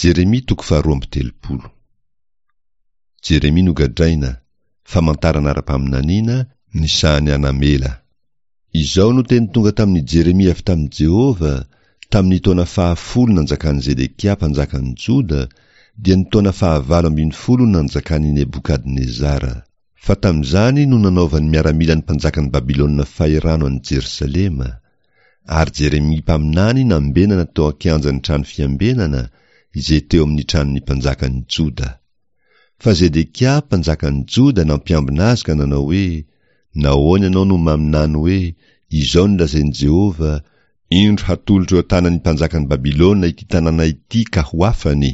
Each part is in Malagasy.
Jeremia toko faharoa amby telopolo. Jeremia nogadraina, famantarana ara-paminaniana, ny sahan'i Anamela. Izao no teny tonga tamin'i Jeremia avy tamin'i Jehovah, tamin'ny taona fahafolo nanjakan'i Zedekia mpanjakan'i Joda, dia ny taona fahavalo ambinifolo nanjakan'i Nebokadnezara. Fa tamin'izany no nanaovan'ny miaramilan'ny mpanjakan'i Babylona fahirano an'i Jerosalema. Ary Jeremia mpaminany nambenana teo an-kianjan'ny trano fiambenana, izay teo amin'ny tranon'ny mpanjakan'i Joda. Fa Zedekia mpanjakan'i Joda nampiambina azy ka nanao hoe, Nahoana ianao no maminany hoe, 'Izao no lazain'i Jehovah, Indro hatolotro eo an-tanan'ny mpanjakan'i Babylona ity tanàna ity ka ho afany'?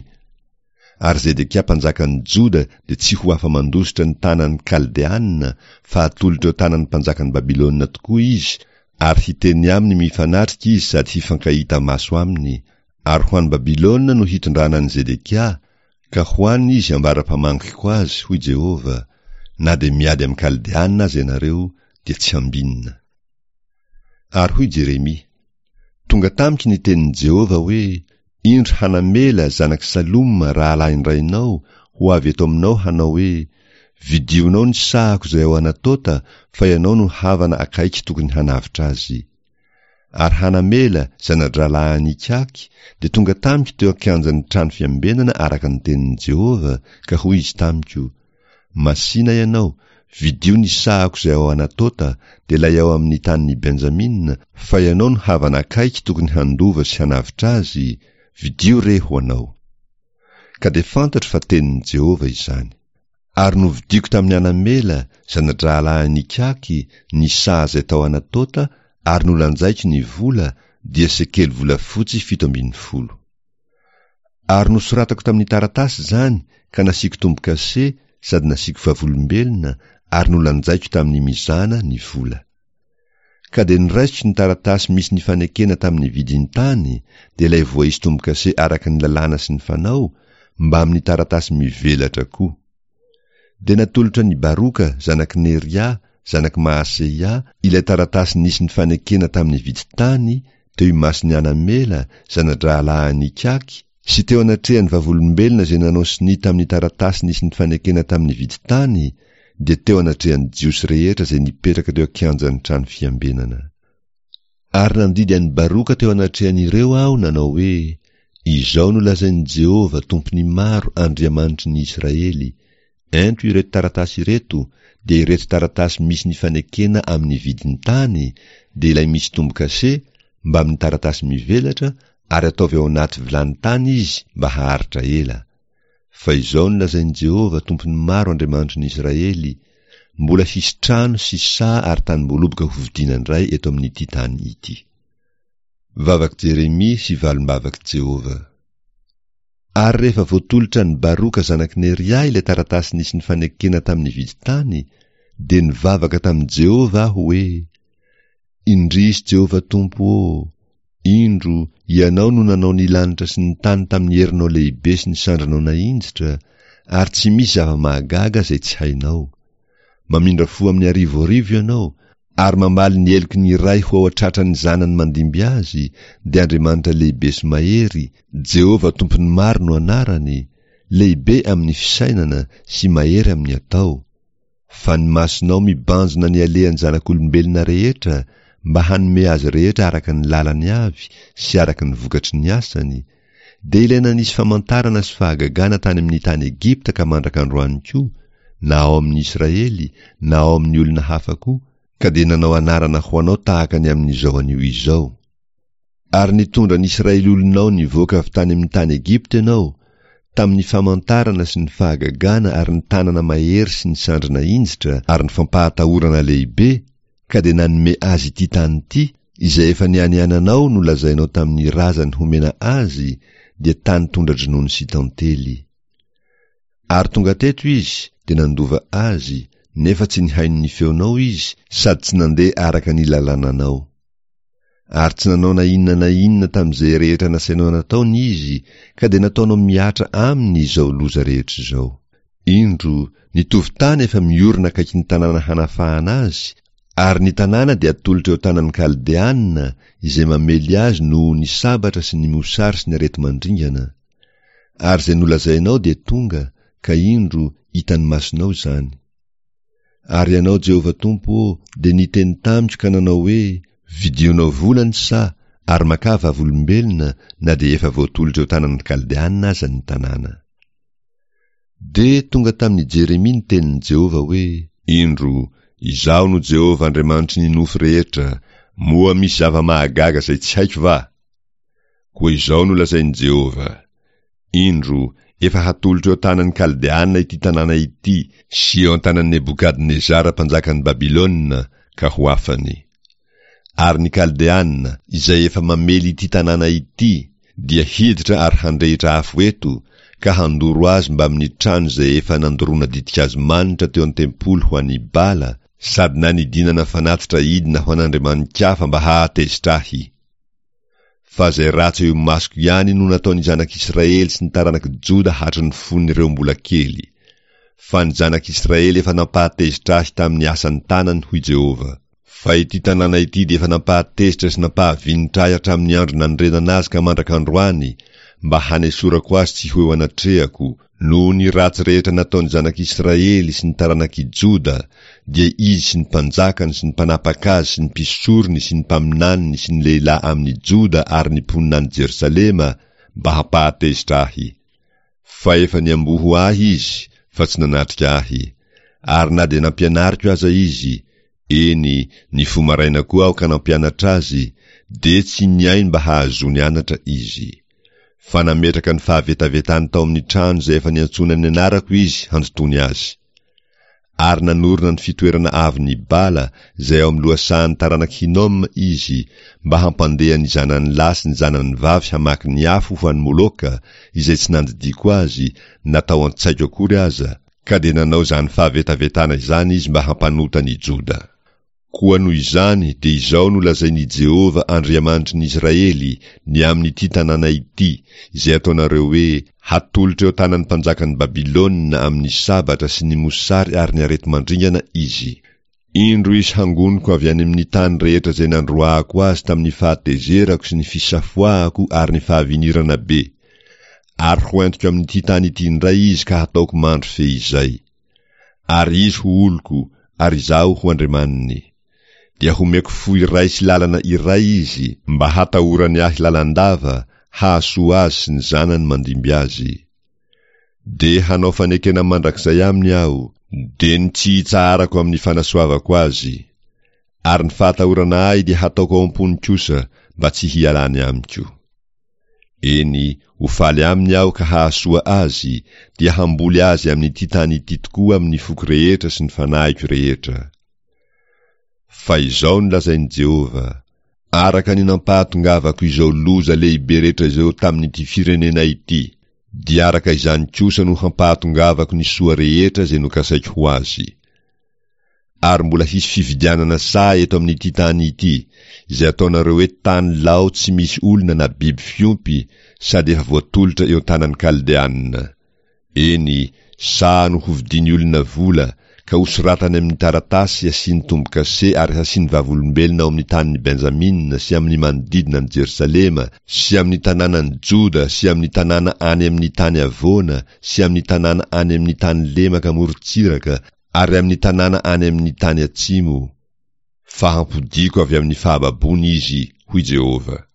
Ary Zedekia mpanjakan'i Joda dia tsy ho afa-mandositra ny tanan'ny Kaldeana, fa hatolotra eo an-tanan'ny mpanjakan'i Babylona tokoa izy, ary hiteny aminy mifanatrika izy sady hifankahita maso aminy, ary ho any Babylona no hitondrana an'i Zedekia, ka ho any izy ambara-pamangiko azy, hoy Jehovah, na dia miady amin'ny Kaldeana aza ianareo, dia tsy hambinina. Ary hoy Jeremia, Tonga tamiko ny tenin'i Jehovah hoe, Indro Hanamela, zanak'i Saloma, rahalahin-drainao, ho avy eto aminao hanao hoe, Vidionao ny sahako izay ao Anatota, fa ianao no havana akaiky tokony hanavotra azy. Ary Hanamela, zana-drahalahin'Ikaky, dia tonga tamiko teo an-kianjan'ny trano fiambenana araka ny tenin'i Jehovah, ka hoy izy tamiko, Masìna ianao, vidio ny sahako izay ao Anatota, dia ilay ao amin'ny tanin'i Benjamina, fa ianao no havana akaiky tokony handova sy hanavotra azy, vidio re ho anao. Ka dia fantatro fa tenin'i Jehovah izany. Ary novidiako tamin'i Anamela, zana-drahalahin'Ikaky, ny saha izay tao Anatota, ary nolanjaiko ny vola, dia sekely volafotsy 17. Ary nosoratako tamin'ny taratasy izany ka nasiako tombo-kase sady nasiako vavolombelona ary nolanjaiko tamin'ny mizana ny vola. Ka dia noraisiko ny taratasy misy ny fanekena tamin'ny vidin-tany, dia ilay voaisy tombo-kase araka ny lalàna sy ny fanao, mbamin'ny taratasy mivelatra koa. Dia natolotra an'i Baroka, zanak'i Neria, zanak'i Mahaseia, ilay taratasy nisy ny fanekena tamin'ny vidin-tany, teo imason'i Anamela, zana-drahalahin'Ikaky, sy teo anatrehan'ny vavolombelona izay nanao sonia tamin'ny taratasy nisy ny fanekena tamin'ny vidin-tany, dia teo anatrehan'ny Jiosy rehetra izay nipetraka teo an-kianjan'ny trano fiambenana. Ary nandidy an'i Baroka teo anatrehan'ireo aho, nanao hoe, Izao no lazain'i Jehovah, Tompon'ny maro, Andriamanitry ny Israely, Ento ireto taratasy ireto, dia ireto taratasy misy ny fanekena amin'ny vidin-tany, dia ilay misy tombo-kase, mbamin'ny taratasy mivelatra, ary ataovy ao anaty vilany tany izy mba haharitra ela. Fa izao no lazain'i Jehovah, Tompon'ny maro, Andriamanitry ny Israely, Mbola hisy trano sy saha ary tanimboaloboka hovidiana indray eto amin'ity tany ity. Vavak'i Jeremia sy valim-bavak'i Jehovah. Ary rehefa voatolotra an'i Baroka zanak'i Neria ilay taratasy nisy ny fanekena tamin'ny vidin-tany, dia nivavaka tamin'i Jehovah aho hoe, Indrisy Jehovah Tompo ô! Indro, Ianao no nanao ny lanitra sy ny tany tamin'ny herinao lehibe sy ny sandrinao nahinjitra, ary tsy misy zava-mahagaga izay tsy hainao. Mamindra fo amin'ny arivoarivo Ianao, ary mamaly ny heloky ny ray ho ao an-tratran'ny zanany mandimby azy, dia Andriamanitra lehibe sy mahery, Jehovah Tompon'ny maro no anarany, lehibe amin'ny fisainana sy mahery amin'ny atao. Fa ny masonao mibanjina ny alehan'ny zanak'olombelona rehetra mba hanome azy rehetra araka ny lalany avy sy araka ny vokatry ny asany, dia ilay nanisy famantarana sy fahagagana tany amin'ny tany Egypta ka mandraka androany koa, na ao amin'ny Israely na ao amin'ny olona hafa koa, ka dia nanao anarana ho anao tahaka ny amin'izao anio izao. Ary nitondra ny Israely olonao nivoaka avy tany amin'ny tany Egypta ianao, tamin'ny famantarana sy ny fahagagana ary ny tanana mahery sy ny sandry nahinjitra ary ny fampahatahorana lehibe, ka dia nanome azy ity tany ity, izay efa nianiananao nolazainao tamin'ny razany homena azy, dia tany tondra-dronono sy tantely. Ary tonga teto izy, dia nandova azy, nefa tsy nihaino ny feonao izy sady tsy nandeha araka ny lalànanao. Ary tsy nanao na inona na inona tamin'izay rehetra nasainao nataony izy, ka dia nataonao mihatra aminy izao loza rehetra izao. Indro, ny tovon-tany efa miorina akaikin'ny tanàna hanafahana azy, ary ny tanàna dia atolotra eo an-tanan'ny Kaldeana, izay mamely azy noho ny sabatra sy ny mosary sy ny areti-mandringana. Ary izay nolazainao dia tonga, ka indro, hitan'ny masonao izany. Ary Ianao, Jehovah Tompo ô, dia niteny tamiko ka nanao hoe, Vidionao vola ny saha, ary makà vavolombelona, na dia efa voatolotra eo tanan'ny Kaldeana aza ny tanàna. Dia tonga tamin'i Jeremia ny tenin'i Jehovah hoe. Indro, Izaho no Jehovah Andriamanitry ny nofo rehetra, moa misy zava-mahagaga izay tsy haiko va? Koa izao no lazain'i Jehovah, Indro, efa hatolotro eo an-tanan'ny Kaldeana ity tanàna ity sy eo an-tanan'i Nebokadnezara mpanjakan'i Babylona, ka ho afany. Ary ny Kaldeana, izay efa mamely ity tanàna ity, dia hiditra ary handrehitra afo eto, ka handoro azy mbamin'ny trano izay efa nandoroana ditin-kazo manitra teo an-tempoly ho an'i Bala, sady nanidinana fanatitra idina ho an'andriamani-kafa mba hahatezitra ahy. Fa izay ratsy eo imasoko ihany no nataon'ny zanak'Israely sy ny taranak'i Joda hatry ny fon'ireo mbola kely. Fa ny zanak'Israely efa nampahatezitra ahy tamin'ny asan'ny tanany, hoy Jehovah. Fa ity tanàna ity dia efa nampahatezitra sy nampahavinitra ahy hatramin'ny andro nanorenana azy ka mandrak'androany, mba hanesorako azy tsy ho eo anatrehako, Noho ny ratsy rehetra nataon'ny zanak'Israely sy ny taranak'i Joda, dia izy sy ny mpanjakany sy ny mpanapaka azy sy ny mpisorony sy ny mpaminaniny sy ny lehilahy amin'i Joda ary ny mponina any Jerosalema, mba hampahatezitra ahy. Fa efa niamboho ahy izy, fa tsy nanatrika ahy. Ary na dia nampianariko aza izy, eny, nifoha maraina koa aho ka nampianatra azy, dia tsy nihaino mba hahazoany anatra izy. Fa nametraka ny fahavetavetany tao amin'ny trano izay efa niantsoana ny anarako izy handotoany azy. Ary nanorina ny fitoerana avon'i Bala izay ao amin'ny lohasahan'ny taranak'i Hinoma izy, mba hampandeha ny zanany lahy sy ny zanany vavy hamaky ny afo ho an'i Moloka, izay tsy nandidiako azy, na tao an-tsaiko akory aza, ka dia nanao izany fahavetavetana izany izy mba hampanota an'i Joda. Koa noho izany dia izao no lazain' i Jehovah Andriamanitry ny Israely ny amin' ity tanàna ity, izay ataonareo hoe, Hatolotra eo an-tanan'ny mpanjakan'i Babylona amin' ny sabatra sy ny mosary ary ny areti-mandringana izy. Indro izy hangoniko avy any amin' ny tany rehetra izay nandroahako azy tamin' ny fahatezerako sy ny fisafoahako ary ny fahavinirana be, ary hoentiko amin' ity tany ity indray izy ka hataoko mandry feizay. Ary izy ho oloko, ary izaho ho Andriamaniny. Dia homeko fo iray sy lalana iray izy, mba hatahorany ahy lalandava, hahasoa azy sy ny zanany mandimby azy. Dia hanao fanekena mandrakizay aminy aho, dia ny tsy hitsaharako amin'ny fanasoavako azy. Ary ny fahatahorana ahy dia hataoko ao am-pony kosa, mba tsy hialany amiko. Eny, ho faly aminy aho ka hahasoa azy, dia hamboly azy amin'ity tany ity tokoa amin'ny foko rehetra sy ny fanahiko rehetra. Fa izao no lazain'i Jehovah, Araka ny nampahatongavako izao loza lehibe rehetra izao tamin'ity firenena ity, dia araka izany kosa no hampahatongavako ny soa rehetra izay nokasaiko ho azy. Ary mbola hisy fividianana saha eto amin'ity tany ity, izay ataonareo hoe tany lao tsy misy olona na biby fiompy, sady efa voatolotra eo an-tanan'ny Kaldeanina. Eny, saha no hovidian'ny olona vola, ka hosoratany amin'ny taratasy hasiany tombo-kase ary hasiany vavolombelona ao amin'ny tanin'i Benjamina sy amin'ny manodidina an'i Jerosalema sy amin'ny tanànan'i Joda sy amin'ny tanàna any amin'ny tany havoana sy amin'ny tanàna any amin'ny tany lemaka amoron-tsiraka ary amin'ny tanàna any amin'ny tany atsimo, fa hampodiako avy amin'ny fahababoana izy, hoy Jehovah.